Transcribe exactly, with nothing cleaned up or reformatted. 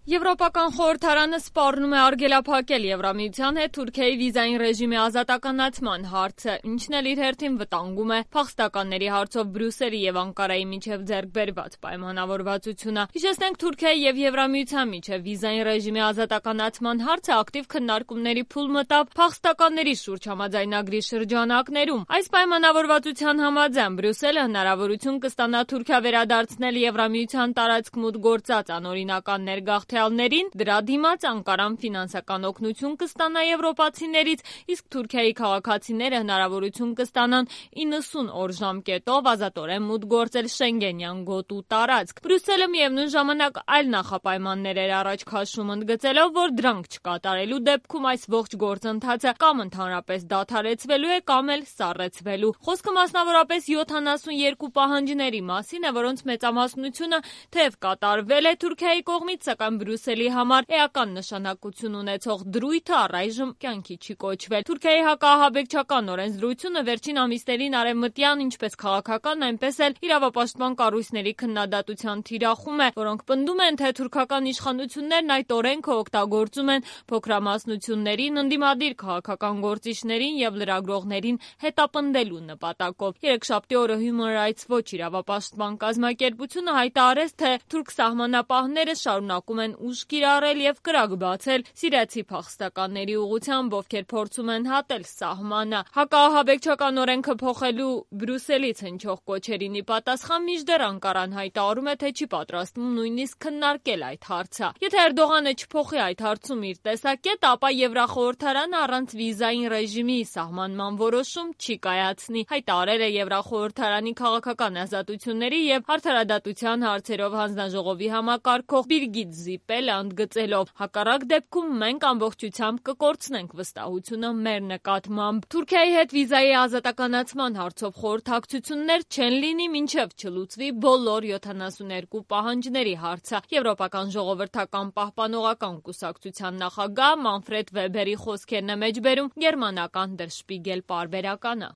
Եվրոպական խորհրդարանը սպառնում է արգելափակել Եվրամիության հետ Թուրքիայի վիզային ռեժիմի ազատականացման հարցը, ինչն էլ իր հերթին վտանգում է փախստականների հարցով Բրյուսելի եւ Անկարայի միջև ձեռք բերված պայմանավորվածությունը։ Հիշեցնենք, Թուրքիայի եւ Եվրամիության միջև վիզային ռեժիմի ազատականացման հարցը ակտիվ քննարկումների փուլ մտավ փախստականների շուրջ համաձայնագրի շրջանակներում։ Այս պայմանավորվածության համաձայն Բրյուսելը հնարավորություն կստանա Թուրքիա վերադարձնել Եվրամիության տարածք մուտք գործած անօրինական ներգաղթյալներին, դրա դիմաց Անկարան ֆինանսական օգնություն կստանա եվրոպացիներից, իսկ Թուրքիայի քաղաքացիները հնարավորություն կստանան իննսուն օր ժամկետով ազատորեն մուտք գործել Շենգենյան գոտու տարածք։ Բրյուսելը միևնույն ժամանակ այլ նախապայմաններ էր առաջ քաշում, ընդգծելով, որ դրանք չկատարելու դեպքում այս ողջ գործընթացը կամ ընդհանրապես դադարեցվելու է, կամ էլ սառեցվելու։ Խոսքը մասնավորապես յոթանասունյոթ պահանջների մասին է, որոնց մեծամասնությունը թեև կատարվել է Թուրքիայի կողմից, սակայն Բրյուսելի համար էական նշանակություն ունեցող դրույթը առայժմ կյանքի չի կոչվել։ Թուրքիայի հակահաբեկչական օրենսդրությունը վերջին ամիսներին արևմտյան ինչպես քաղաքական, այնպես էլ իրավապաշտպան կառույցների քննադատության թիրախում է, որոնք պնդում են, թե թուրքական իշխանություններն այդ օրենքը օգտագործում են փոքրամասնություններին, ընդդիմադիր քաղաքական գործիչներին եւ լրագրողներին հետապնդելու նպատակով։ Երեքշաբթի օրը Human Rights Watch իրավապաշտպան կազմակերպությունը հայտարարեց, թե թուրք սահմանապահները շարունակում են ուժ կիրառել եւ կրակ բացել սիրիացի փախստականների ուղղությամբ, ովքեր փորձում են հատել սահմանը։ Հակահաբեկչական օրենքը փոխելու Բրյուսելից հնչող կոչերին ի պատասխան մինչդեռ Անկարան հայտարարում է, թե չի պատրաստվում նույնիսկ քննարկել այդ հարցը։ Եթե Էրդողանը չփոխի այդ հարցում իր տեսակետը, ապա Եվրախորհրդարանը առանց վիզային ռեժիմի սահմանման որոշում չի կայացնի, հայտարարել է Եվրախորհրդարանի քաղաքական ազատությունների եւ արդարադատության հարցերով հանձնաժողովի համակարգող Բիրգիտ Զիպելը, ընդգծելով. հակառակ դեպքում մենք ամբողջությամբ կկորցնենք վստահությունը մեր նկատմամբ։ Թուրքիայի հետ վիզայի ազատականացման հարցով խորհրդակցություններ չեն լինի, մինչև չլուծվի բոլոր յոթանասունյոթ պահանջների հարցը։ Եվրոպական ժողովրդական պահպանողական կուսակցության նախագահ Մանֆրեդ Վեբերի խոսքերն է մեջբերում գերմանական Der Spiegel պարբերականը։